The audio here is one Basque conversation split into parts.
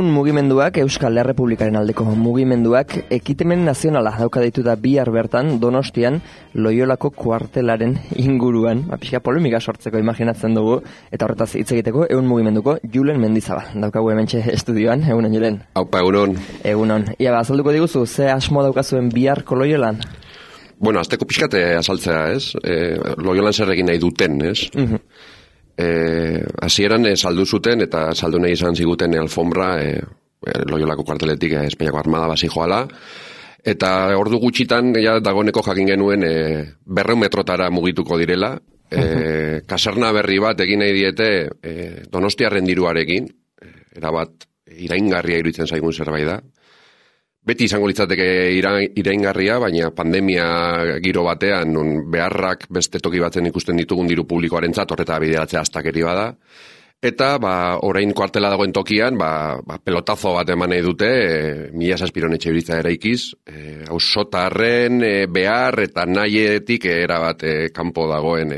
Ehun mugimenduak, Euskal Errepublikaren aldeko mugimenduak, ekitemen nazionala dauka ditu da bihar bertan Donostian Loiolako kuartelaren inguruan. Pixka polemika sortzeko imaginatzen dugu, eta horretaz hitz egiteko Ehun mugimenduko Julen Mendizabal. Daukagu hementxe estudioan, egunon Julen. Aupa, egunon. Egunon. Ia, azalduko diguzu, ze asmo daukazuen biharko Loiolan? Bueno, azteko pixkate azaltzea, ez? Loiolan zer egin nahi duten, ez? Hasieran saldu zuten eta saldu nahi izan ziguten alfombra Loiolako kuarteletik Espainiako Armada basi joala, eta ordu gutxitan ja dagoeneko jakin genuen 200 metrotara mugituko direla. Kaserna berri bat egin nahi diete Donostiarren diruarekin, erabat iraingarria iruditzen zaigun zerbait da. Beti izango litzateke iraingarria, baina pandemia giro batean beharrak beste toki batzen ikusten ditugun diru publikoarentzat horreta bideratzea astakeri bada. Eta orain kuartela dagoen tokian, pelotazo bat eman nahi dute, 1.000 etxebizitza eraikiz, auzotarren behar eta nahietik erabat kanpo dagoen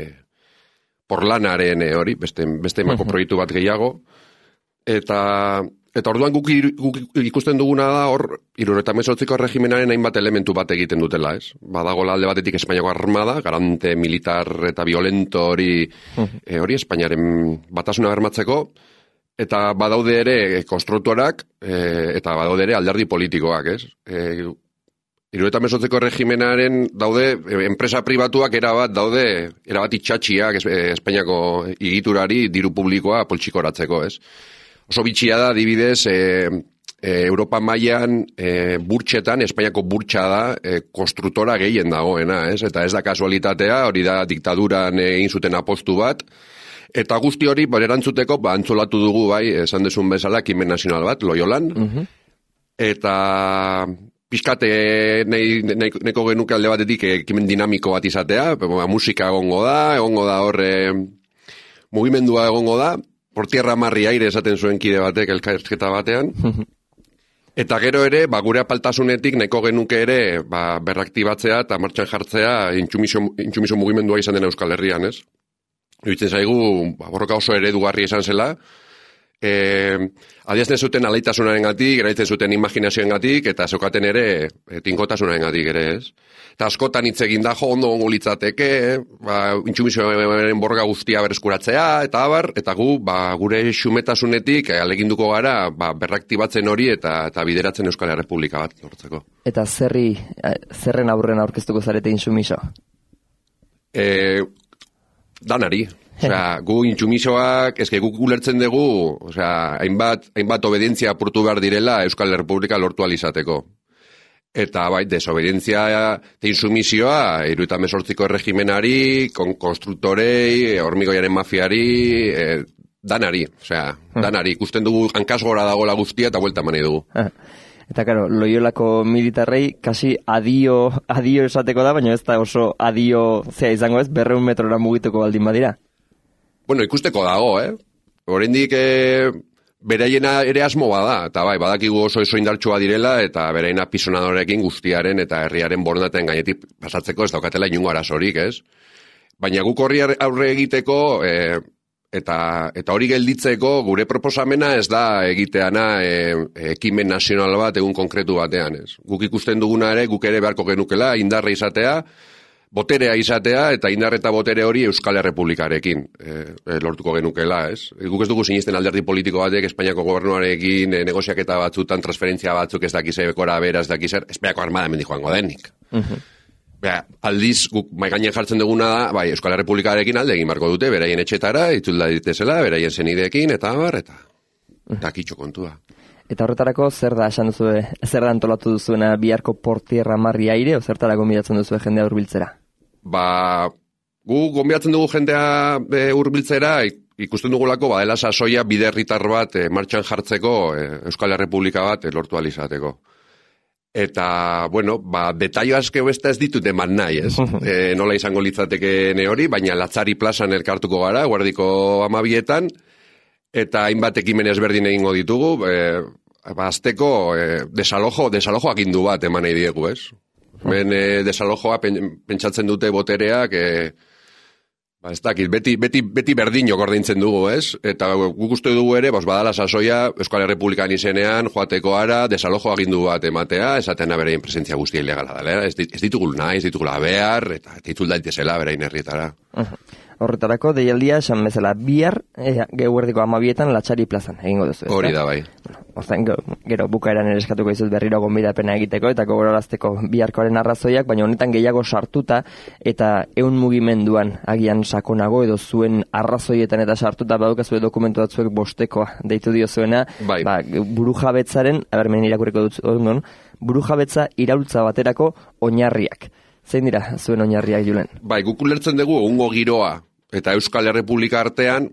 porlanaren hori, beste emako proiektu bat gehiago. Eta orduan guk ikusten duguna da hor 78ko erregimenaren hainbat elementu bat egiten dutela, ez? Badagola alde batetik Espainiako Armada, garante militar eta violento hori Espainiaren batasuna bermatzeko, eta badaude ere konstruktorak eta badaude ere alderdi politikoak, ez? 78ko erregimenaren daude enpresa pribatuak erabat itxatxiak Espainiako egiturari diru publikoa poltsikoratzeko, ez? Oso bitxia da, adibidez, Europa mailan burtsetan, Espainiako burtsa da, konstruktora gehien dagoena, ez? Eta ez da kasualitatea, hori da diktaduran egin zuten apostu bat, eta guzti hori, erantzuteko, antzolatu dugu, esan desun bezala, ekimen nazional bat, Loiolan, eta pixkate neko genuke alde batetik ekimen dinamiko bat izatea, musika egongo da horre mugimendua egongo da, por tierra marri aire esaten zuen kide batek elkarrizketa batean. Eta gero ere, gure apaltasunetik nahiko genuke ere berraktibatzea eta martxan jartzea intsumiso mugimendua izan dena Euskal Herrian, ez? Iruditzen zaigu, borroka oso eredugarri izan zela, adierazten zuten alaitasunaren gatik, erabiltzen zuten imaginazioen gatik, eta zeukaten ere tinkotasunaren gatik ere, ez? Eta askotan hitz egin da, ondo gongo litzateke, intsumisoaren borroka guztia bereskuratzea, eta gu, gure xumetasunetik aleginduko gara, berraktibatzen hori eta bideratzen Euskal Errepublika bat lortzeko. Eta zerren aurren aurkeztuko zarete intsumiso? Danari. Gu intsumisoak, guk ulertzen dugu, hainbat obedientzia apurtu behar direla Euskal Errepublika lortu alizateko. Eta desobedientzia eta insumizioa, 78ko erregimenari, konstruktorei, hormigoiaren mafiari, danari. Danari, ikusten dugu hankaz gora dagoela guztia eta buelta mani dugu. Eta, karo, Loiolako militarrei kasi adio esateko da, baina ez da oso adio zea izango ez, 200 metrora mugituko baldin badira. Bueno, ikusteko dago, Oraindik beraiena ere asmo bada, eta badakigu oso indartsua direla, eta beraien apisonadorekin guztiaren eta herriaren borondateen gainetik pasatzeko ez daukatela inungo arazorik, ez? Baina guk horri aurre egiteko, eta hori gelditzeko, gure proposamena ez da egiteana ekimen nazional bat egun konkretu batean, ez? Guk ikusten duguna ere, guk ere beharko genukela, indarra izatea, boterea izatea, eta indar eta botere hori Euskal Errepublikarekin lortuko genukela, ez? Guk ez dugu sinisten alderdi politiko batek Espainiako gobernuarekin negoziaketa batzutan, transferentzia batzuk ez dakize bekora bera, ez dakizer, Espainiako Armada hemendik joango denik. Aldiz, guk maigainen jartzen duguna da, Euskal Errepublikarekin alde egin marko dute, beraien etxetara, itzulda ditezela, beraien zenideekin, eta kitxo kontua. Eta horretarako, zer da antolatu duzuena biharko portierra marri aire, o zertarako gonbidatzen duzu jendea hurbiltzera? Gu gonbidatzen dugu jendea hurbiltzera, ikusten dugulako, badela sasoia biderritar bat martxan jartzeko Euskal Errepublika bat lortu alizateko. Eta, detaio aske besta ez ditut eman nahi, ez? Nola izango litzateke hori, baina Latzari plazan elkartuko gara, Guardiko 12etan, eta hainbat ekimen ezberdin egingo ditugu, azteko desalojo agindu bat eman nahi diegu, ez? Ben desalojoa pentsatzen dute botereak Ez dakit, beti berdinok ordintzen dugu, ez? Eta guk uste dugu ere, badala sasoia Euskal Herrepublikan izenean, joateko ara, desalojo agindu bat ematea, esatena berein presentzia guztia ilegala dela. Ez ditugul nahi, ez ditugula behar, eta itzul daitezela berein herrietara. Horretarako, deialdia, esan bezala, bihar, geuerdiko 12etan Latxari plazan, egingo duzu. Hori da, bai. Hortzen, gero bukaeran ere eskatuko izuz berriro gonbidapena egiteko, eta gogorarazteko biharkoaren arrazoiak, baina honetan gehiago sartuta, eta ehun mugimenduan agian sakonago, edo zuen arrazoietan eta sartuta, badukazue dokumentu batzuek bostekoa deitu diozuena, bai. Burujabetzaren, abermen irakurriko dut, burujabetza iraultza baterako oinarriak. Zein dira zuen oinarriak, Julen? Bai, guk ulertzen dugu egungo giroa eta Euskal Herrepublika artean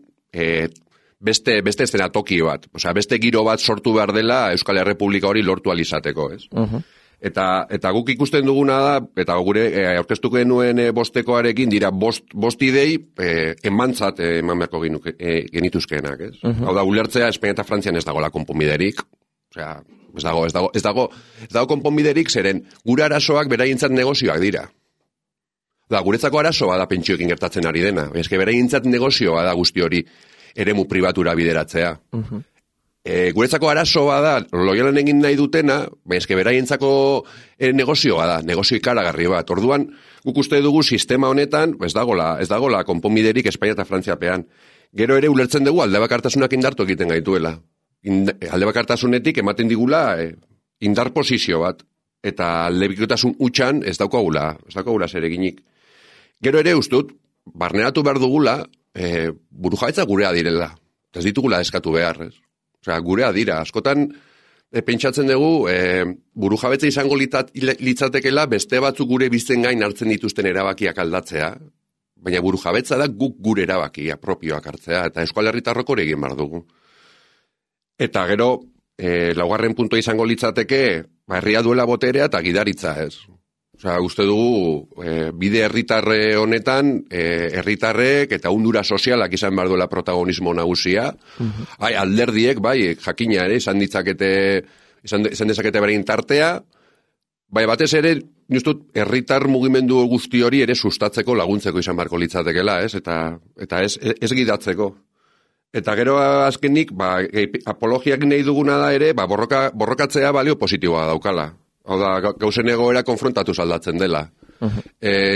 beste eszenatoki bat. Osea, beste giro bat sortu behar dela Euskal Herrepublika hori lortu alizateko, ez? Eta guk ikusten duguna da, eta gure aurkeztuko genuen bostekoarekin dira bost idei emantzat eman beharko genituzkeenak, ez? Hau da, ulertzea Espainia eta Frantzian ez dagoela konponbiderik. Osea, ez dago konponbiderik, zeren gure arazoak beraientzat negozioak dira. Guretzako arazo bada pentsioekin gertatzen ari dena. Eske beraientzat negozioa da guzti hori eremu pribatura bideratzea. Guretzako arazo bada Loiolan egin nahi dutena, eske beraientzako negozioa da, negozio ikaragarri bat. Orduan, guk uste dugu sistema honetan ez dagola konponbiderik Espainia eta Frantziapean. Gero ere ulertzen dugu aldebakartasunak indartu egiten gaituela. Aldebakartasunetik ematen digula indar posizio bat, eta aldebikotasun utxan ez daukagula zereginik. Gero ere ustut, barneratu behar dugula, burujabetza gurea direla. Ez ditugula eskatu behar, ez? Osea, gurea dira. Askotan pentsatzen dugu, burujabetza izango litzatekela beste batzuk gure bizten gain hartzen dituzten erabakiak aldatzea, baina burujabetza da guk gure erabakia propioak hartzea, eta Euskal Herritarrok hori egin behar dugu. Eta gero, laugarren puntua izango litzateke, herria duela boterea eta gidaritza, ez? Osea, uste dugu, bide herritarre honetan, herritarrek eta undura sozialak izan behar duela protagonismo nagusia. Alderdiek, jakina ere, izan dezakete berein tartea, batez ere, nustut, herritar mugimendu guzti hori ere sustatzeko laguntzeko izan beharko litzatekela, ez? Eta ez gidatzeko. Eta gero azkenik, apologiak nahi duguna da ere, borrokatzea balio positiboa daukala. Hau da, gauzen egoera konfrontatuz aldatzen dela.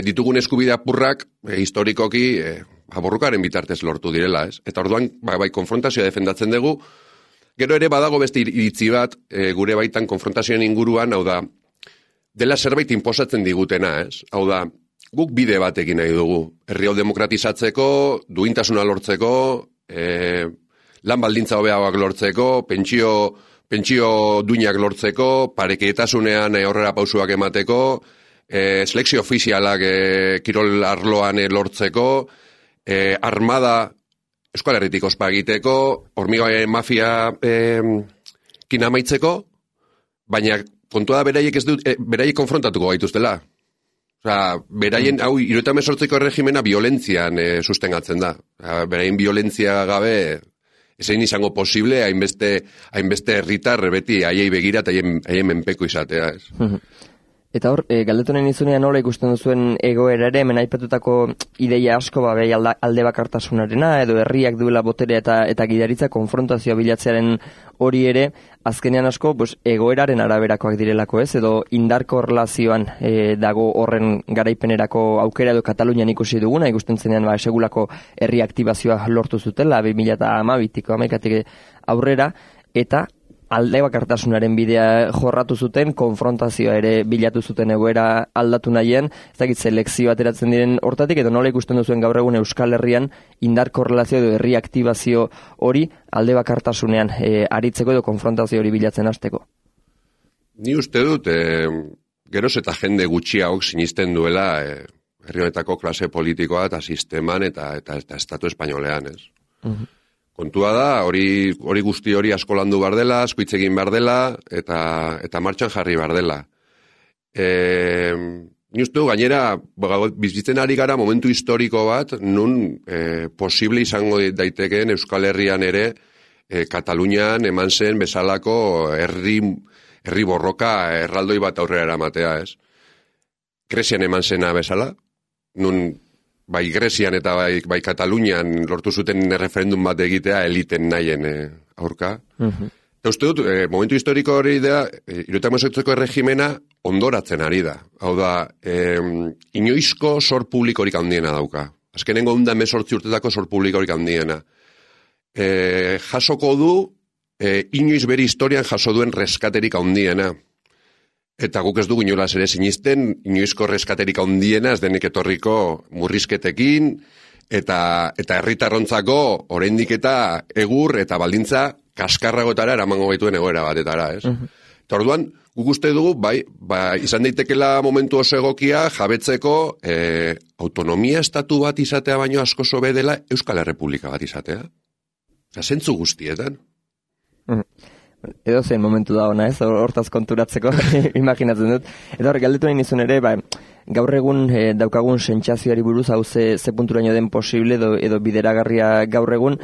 Ditugun eskubide apurrak, historikoki, borrokaren bitartez lortu direla, ez? Eta orduan, konfrontazioa defendatzen dugu, gero ere badago beste iritzi bat, gure baitan konfrontazioen inguruan, hau da, dela zerbait inposatzen digutena, ez? Hau da, guk bide bat egin nahi dugu. Herri hau demokratizatzeko, duintasuna lortzeko, lan baldintza hobeagoak lortzeko, pentsio duinak lortzeko, pareketasunean aurrera pausuak emateko, selekzio ofizialak kirol arloan lortzeko, armada Euskal Herritik ospa egiteko, hormigoaren mafia kinamaitzeko, baina kontua da beraiek konfrontatuko gaituztela. Osea, beraien, 78ko erregimena violentzian sustengatzen da. Beraien violentzia gabe ezein izango posible hainbeste herritar beti haiei begira eta haien menpeko izatea, ez? Eta hor, galdetonen izunean nola ikusten duzuen egoera ere, hemen aipatutako ideia asko bai alde bakartasunarena, edo herriak duela boterea eta gidaritza konfrontazioa bilatzearen hori ere, azkenean asko egoeraren araberakoak direlako, ez? Edo indarko relazioan dago horren garaipenerako aukera edo Katalunian ikusi duguna, ikusten zenean segulako herri aktibazioa lortu zutela, 2012-ko amaikatik aurrera, eta alde bakartasunaren bidea jorratu zuten, konfrontazioa ere bilatu zuten egoera aldatu nahien, ez dakit selekzio ateratzen diren hortatik, edo nola ikusten duzuen gaur egun Euskal Herrian indar korrelazio edo herri aktibazio hori alde bakartasunean aritzeko edo konfrontazio hori bilatzen hasteko. Ni uste dut, geroz eta jende gutxiago sinisten duela herri honetako klase politikoa eta sisteman eta estatu espainolean, ez? Kontua da, hori guzti hori asko landu behar dela, asko hitz egin behar dela, eta martxan jarri behar dela. Ni uste du, gainera, bizitzen ari gara momentu historiko bat, nun posible izango daitekeen Euskal Herrian ere, Katalunian eman zen bezalako herri borroka erraldoi bat aurrera eramatea, ez? Grezian eman zena bezala, nun bai Grezian eta bai Katalunian lortu zuten referendum bat egitea eliten nahien aurka. Eta uste dut, momentu historiko hori da, 78ko erregimena ondoratzen ari da. Hau da, inoizko sor publikorik handiena dauka. Azkenengo 118 urtetako sor publikorik handiena. Jasoko du, inoiz bere historian jaso duen reskaterik handiena. Eta guk ez dugu inolaz ere sinisten, inoizko reskaterik handiena ez denik etorriko murrizketekin, eta herritarrontzako oraindik eta egur eta baldintza kaskarragotara eramango gaituen egoera batetara, ez? Eta orduan, guk uste dugu, bai, izan daitekela momentu oso egokia jabetzeko autonomia estatu bat izatea baino asko sobe dela Euskal Errepublika bat izatea. Zentzu guztietan. Edo zein momentu da ona, ez? Hortaz konturatzeko, imaginatzen dut. Eta horrek galdetu nahi nizun ere, gaur egun daukagun sentsazioari buruz hau ze punturaino den posible edo bideragarria gaur egun,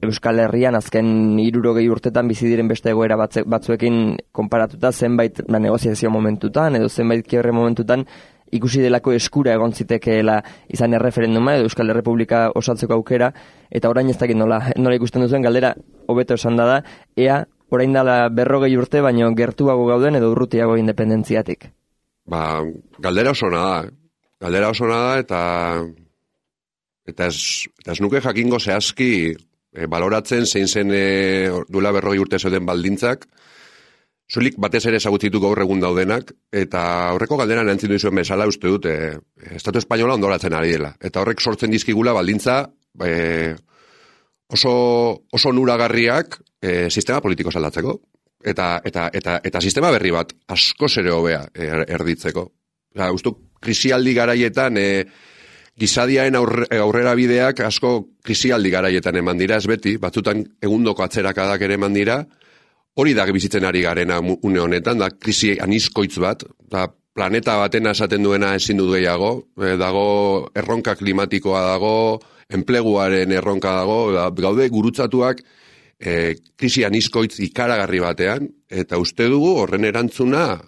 Euskal Herrian azken 60 urtetan bizi diren beste egoera batzuekin konparatuta zenbait negoziazio momentutan edo zenbait kiebre momentutan ikusi delako eskura egon zitekeela izan erreferenduma edo Euskal Errepublika osatzeko aukera, eta orain ez dakit nola ikusten duzuen galdera hobeto esan da, ea orain dela 40 urte baino gertuago gauden edo urrutiago independentziatik. Galdera oso da. Galdera oso da eta ez nuke jakingo zehazki baloratzen zein zen duela 40 urte zeuden baldintzak, zulik batez ere ezagutzitu gaur egun daudenak, eta horreko galderan erantzun duzuen bezala uste dut, Estatu Espainola ondoratzen ari dela. Eta horrek sortzen dizkigula baldintza oso nuragarriak sistema politiko saldatzeko. Eta sistema berri bat asko zere hobea erditzeko. Uste krisialdi garaietan gizadiaen aurrera bideak asko krisialdi garaietan eman dira, ez beti, batzutan egundoko atzerakadak ere eman dira, hori da bizitzen ari garena une honetan, da krisi anizkoitz bat, da planeta baten esaten duena ezin dut gehiago, dago erronka klimatikoa dago, enpleguaren erronka dago, gaude gurutzatuak krisi anizkoitz ikaragarri batean, eta uste dugu horren erantzuna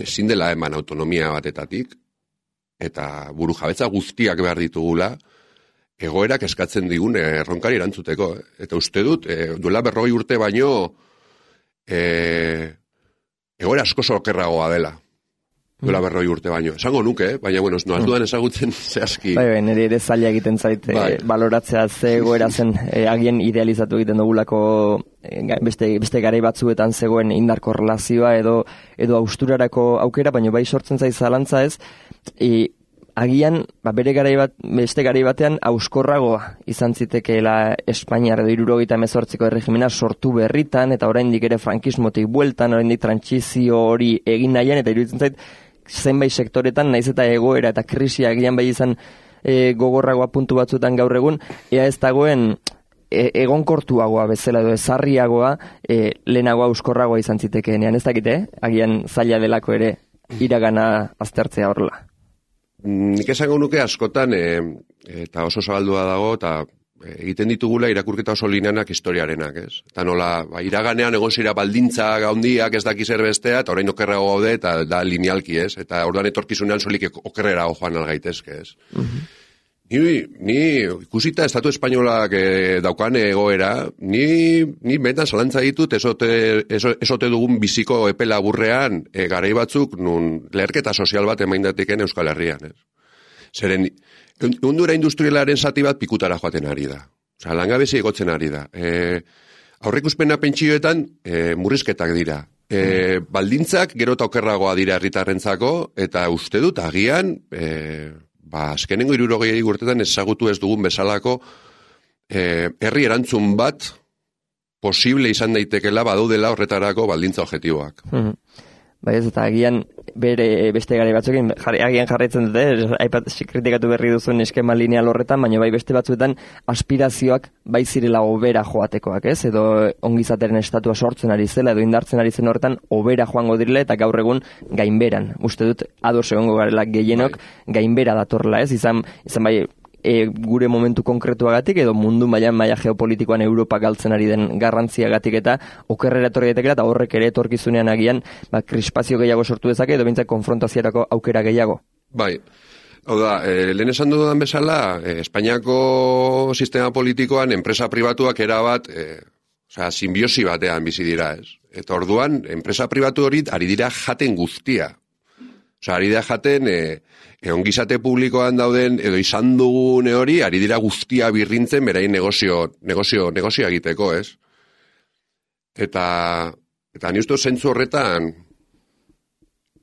ezin dela eman autonomia batetatik, eta buru jabetza guztiak behar ditugula, egoerak eskatzen digun erronkari erantzuteko. Eta uste dut, duela 40 urte baino, egoera asko okerragoa dela. Duela 40 urte baino. Esango nuke, baina, bueno, ez dudan ezagutzen zehazki. Nire ere zaila egiten zait, baloratzea ze egoera zen, agien idealizatu egiten dugulako beste garai batzuetan zegoen indarko relazioa edo austurarako aukera, baina bai sortzen zaiz zalantza ez, agian beste garai batean auskorragoa izan zitekeela Espainiar edo 78ko erregimena sortu berritan, eta oraindik ere frankismotik bueltan, oraindik trantsizio hori egin nahian, eta iruditzen zait zenbait sektoretan naiz eta egoera eta krisia agian bai izan gogorragoa puntu batzuetan gaur egun, ea ez dagoen egonkortuagoa bezala edo ezarriagoa lehenagoa auskorragoa izan zitekeenean, ez dakite, agian zaila delako ere iragana aztertzea horrela. Nik esango nuke askotan, eta oso zabaldua dago, eta egiten ditugula irakurketa oso lineanak historiarenak, ez? Eta nola, iraganean egon zira baldintza gaundiak ez daki zer bestea, eta orain okerrago gaude, eta da linealki, ez? Eta orduan etorkizunean solik okerrerago joan algaitezke, ez? Ni ikusita Estatu Espainolak daukan egoera, ni benetan zalantza ditut esote dugun biziko epe laburrean garai batzuk nun leherketa sozial bat emaindateken Euskal Herrian, ez? Zeren, undura industrialaren zati bat pikutara joaten ari da. Osa, langabezi egotzen ari da. Aurrikuspena pentsioetan murrizketak dira. Baldintzak gero eta okerragoa dira herritarrentzako, eta uste dut agian azkenengo 60 urtetan ezagutu ez dugun bezalako herri erantzun bat posible izan daitekela badaudela horretarako baldintza objektiboak. Bai ez, eta agian bere beste garai batzuekin agian jarraitzen dute, kritikatu berri duzuen eskema lineal horretan, baina bai beste batzuetan aspirazioak bai zirela hobera joatekoak, ez? Edo ongizateren estatua sortzen ari zela, edo indartzen ari zen horretan hobera joango direla, eta gaur egun gainberan. Uste dut, ados egongo garela gehienok gainbera datorla, ez? Izan bai gure momentu konkretuagatik edo mundu maila geopolitikoan Europa galtzen ari den garrantziagatik eta okerrera etorri daitekela, eta horrek ere etorkizunean agian krispazio gehiago sortu dezake edo behintzat konfrontaziarako aukera gehiago. Bai, Hau da, lehen esan dudan bezala, Espainiako sistema politikoan enpresa pribatuak erabat, simbiosi batean bizi dira, ez? Eta orduan, enpresa pribatu hori ari dira jaten guztia. Ari dira jaten, ongizate publikoan dauden, edo izan dugune hori, ari dira guztia birrintzen berain negozio egiteko, ez? Eta ni uste zentzu horretan,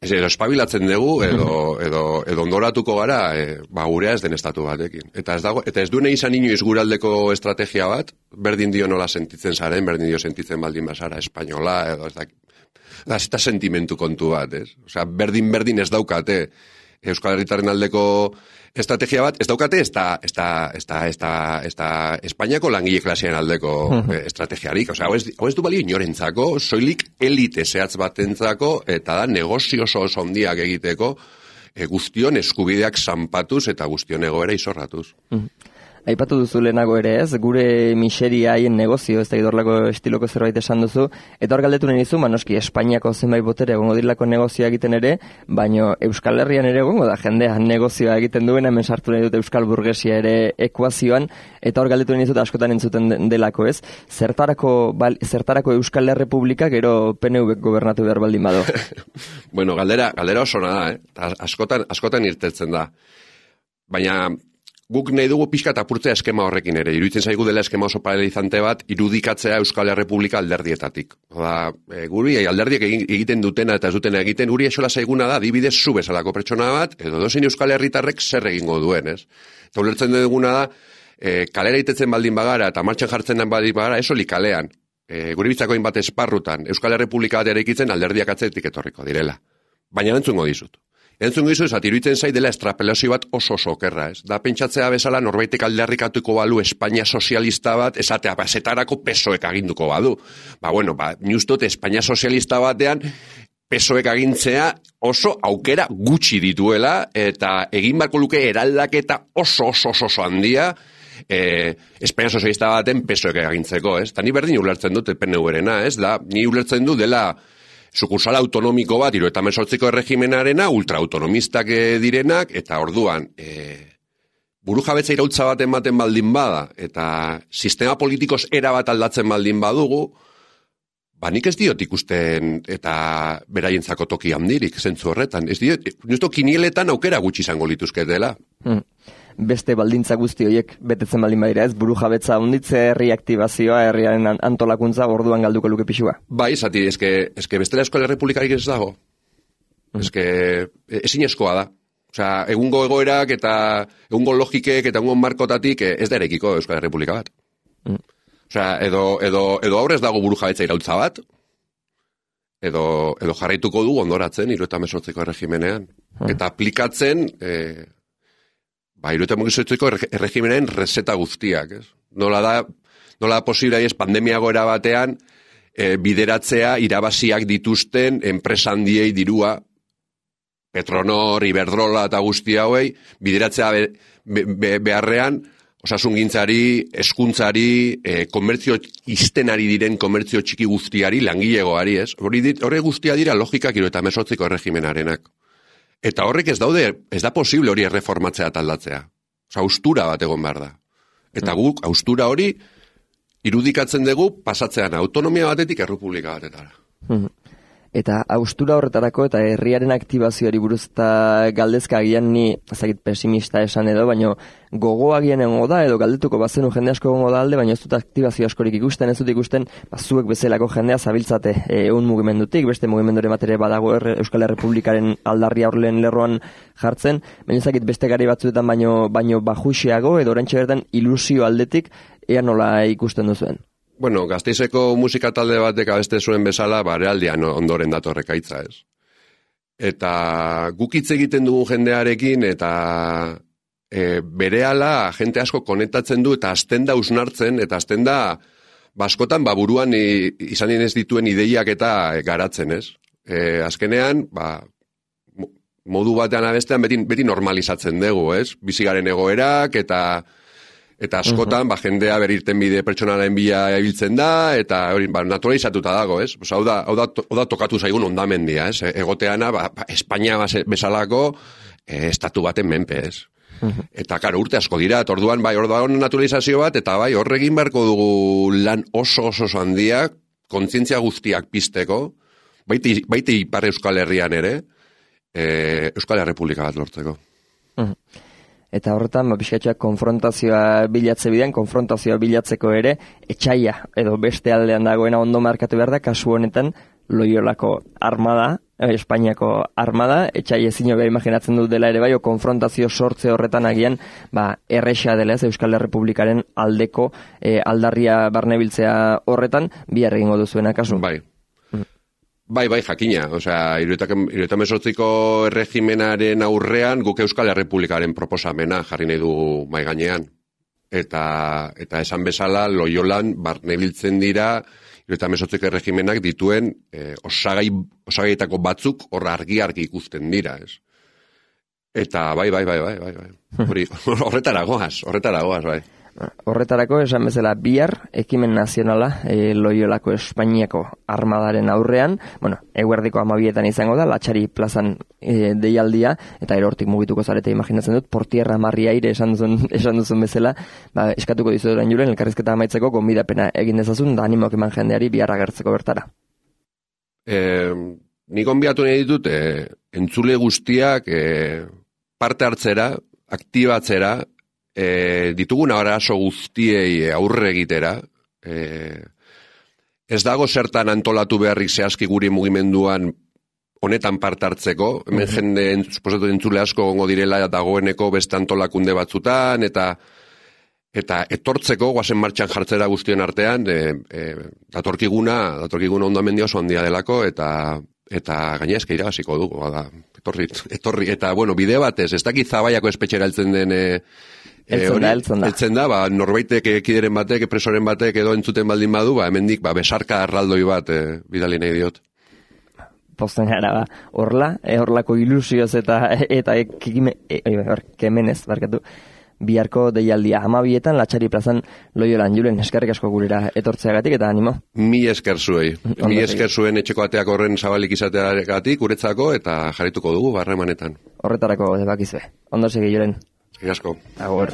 edo espabilatzen dugu, edo ondoratuko gara, gurea ez den estatu batekin. Eta ez dune izan inoiz guraldeko estrategia bat, berdin dio nola sentitzen zaren, berdin dio sentitzen baldin bazara espainola, edo ez da sentimentu kontu bat, ez? Osea, berdin ez daukate Euskal Herritarren aldeko estrategia bat, ez daukate ez da Espainiako langile klasean aldeko estrategiarik. Osea, hau ez du balio inorentzako, soilik elite zehatz batentzako, eta da negozio oso handiak egiteko, guztion eskubideak zanpatuz eta guztion egoera izorratuz. Aipatu duzu lehenago ere ez, gure miseria haien negozio, ez da idorlako estiloko zerbait esan duzu, eta hor galdetu nahi dizu, noski Espainiako zenbait botere egongo direlako negozioa egiten ere, baino Euskal Herrian ere egongo da jendea negozioa egiten duena, hemen sartu nahi dut Euskal Burgesia ere ekuazioan, eta hor galdetu nahi dizut askotan entzuten delako ez, zertarako Euskal Herrepublika gero PNV gobernatu behar baldin bado. Bueno, galdera oso da, askotan irtetzen da. Baina guk nahi dugu pixka eta apurtzea eskema horrekin ere. Iruditzen zaigu dela eskema oso paralelizante bat, irudikatzea Euskal Herrepublika alderdietatik. Guri alderdiek egiten dutena eta ez dutena egiten, guri esola zaiguna da, adibidez zu bezalako pertsona bat, edo dozein Euskal Herritarrek zer egingo duen, ez? Eta ulertzen duguna da, kalera itetzen baldin bagara eta martxan jartzen baldin bagara, esoli kalean. Guri bitzako hainbat esparrutan, Euskal Herrepublika bat eraikitzen alderdiak atzetik etorriko direla. Baina entzungo dizut. Entzun gizu, iruditzen zai dela estrapelazio bat oso okerra, ez? Da pentsatzea bezala norbaitek aldarrikatuko balu Espainia sozialista bat, esatea, zetarako PSOEk aginduko badu. Ni ustot Espainia sozialista batean PSOEk agintzea oso aukera gutxi dituela, eta egin barko luke eraldaketa oso handia Espainia sozialista baten PSOEk agintzeko, ez? Ta ni berdin ulertzen dut PNV-rena, ez? Ni ulertzen du dela sukursala autonomiko bat, 78ko erregimenarena, ultraautonomistak direnak, eta orduan, burujabetza iraultza bat ematen baldin bada, eta sistema politikoz era bat aldatzen baldin badugu, nik ez diot ikusten eta beraientzako toki handirik, zentzu horretan. Ez diot, justo kinieletan aukera gutxi izango lituzketela. Beste baldintza guzti horiek betetzen baldin badira, ez? Burujabetza handitze, herriaktibazioa, herriaren antolakuntza, orduan galduko luke pixua. Bai, zati, eske bestela Euskal Herrepublikarik ez dago. Ezinezkoa da. Osea, egungo egoerak eta egungo logikek eta egungo markotatik ez da erekiko Euskal Herrepublika bat. Osea, edo aurrez dago burujabetza iraultza bat, edo jarraituko du ondoratzen 78ko erregimenean. Eta aplikatzen 78ko erregimenaren reseta guztiak, ez? Nola da posible ez pandemia goera batean bideratzea irabaziak dituzten enpresa handiei dirua, Petronor, Iberdrola eta guzti hauei, bideratzea beharrean, osasungintzari, hezkuntzari, komertzio iztenari diren komertzio txiki guztiari, langilegoari, ez? Horre guztia dira logikak 78ko erregimenarenak. Eta horrek ez da posible hori erreformatzea eta aldatzea. Osa, austura bat egon behar da. Eta guk, austura hori, irudikatzen dugu pasatzean autonomia batetik errepublika batetara. Eta austura horretarako eta herriaren aktibazioari buruz eta galdezka agian ni ezagit pesimista esan edo, baino gogoagian egongo da edo galdetuko bazenu jende asko egongo da alde, baina ez dut aktibazio askorik ikusten, ez dut ikusten zuek bezalako jendea zabiltzate egun mugimendutik, beste mugimenduren batere badago Euskal Herrepublikaren aldarria horren lerroan jartzen, baina ezagit beste gari batzuetan baino bajuxeago edo oraintxe bertan ilusio aldetik ea nola ikusten duzuen. Bueno, Gasteizeko musika talde batek abeste zuen bezala, realdian ondoren datorreka hitza, ez. Eta guk hitz egiten dugu jendearekin, eta berehala jente asko konektatzen du, eta azten da usnartzen, eta azten da baskotan buruan izan ez dituen ideiak eta garatzen, ez. Azkenean, modu batean abestean beti normalizatzen dugu, ez. Bizigaren egoerak, eta Eta askotan, jendea berirten bide pertsonaren bila ibiltzen da, eta hori, naturalizatuta dago, ez? Hau da tokatu zaigun ondamendia, ez? Egoteana, Espainia bezalako estatu baten menpe, ez? Eta, karo, urte asko dira, orduan naturalizazio bat, eta bai, horregin beharko dugu lan oso handia, kontzientzia guztiak pizteko, baite Ipar Euskal Herrian ere, Euskal Errepublika bat lortzeko. Eta horretan, pixkatxoak konfrontazioa bilatzeko ere, etxaia, edo beste aldean dagoena ondo markatu behar da, kasu honetan, Loiolako armada, Espainiako armada, etxai ezin hobea imaginatzen dut dela ere bai, konfrontazio sortze horretan agian, erresa dela ez, Euskal Errepublikaren aldeko aldarria barnebiltzea horretan, bihar egingo duzuena kasu. Bai, jakina. Osea, 78ko erregimenaren aurrean guk Euskal Errepublikaren proposamena jarri nahi du mahai gainean. Eta esan bezala, Loiolan barnebiltzen dira 78ko erregimenak dituen osagaietako batzuk hor argi ikusten dira, ez? Eta bai. Horretara goaz, bai. Horretarako, esan bezala, bihar, ekimen nazionala Loiolako Espainiako armadaren aurrean, eguerdiko 12etan izango da, Latxari plazan deialdia, eta erortik mugituko zarete imaginatzen dut, portierra marri aire esan duzun bezala, eskatuko dizu orain juren, elkarrizketa amaitzeko, gonbidapena egin dezazun, da animoak eman jendeari bihar agertzeko bertara. Ni gonbidatu nahi ditut, entzule guztiak parte hartzera, aktibatzera, ditugun arazo guztiei aurre egitera, ez dago zertan antolatu beharrik zehazki guri mugimenduan honetan parte hartzeko, hemen jende suposatu entzule asko gongo direla dagoeneko beste antolakunde batzutan, eta etortzeko guazen martxan jartzera guztion artean, datorkiguna ondamendia oso handia delako, eta gaina eska irabaziko dugu, etorri, eta bide batez, ez dakit Zabaiako espetxera heltzen den Eltzen da, norbaitek ekideren batek, presoren batek edo entzuten baldin badu, hemendik besarka arraldoi bat bidali nahi diot. Posten gara, horlako ilusioz eta kemenez, barkatu, biharko deialdia 12etan Latxari plazan Loiolan. Julen, eskerrik asko gurera etortzeagatik eta animo. Mi esker zuei. Mi esker zuen etxeko ateak horren zabalik izateagatik, guretzako, eta jarrituko dugu barremanetan. Horretarako debakizue. Ondo segi, Julen. Eskerrik asko. Agur.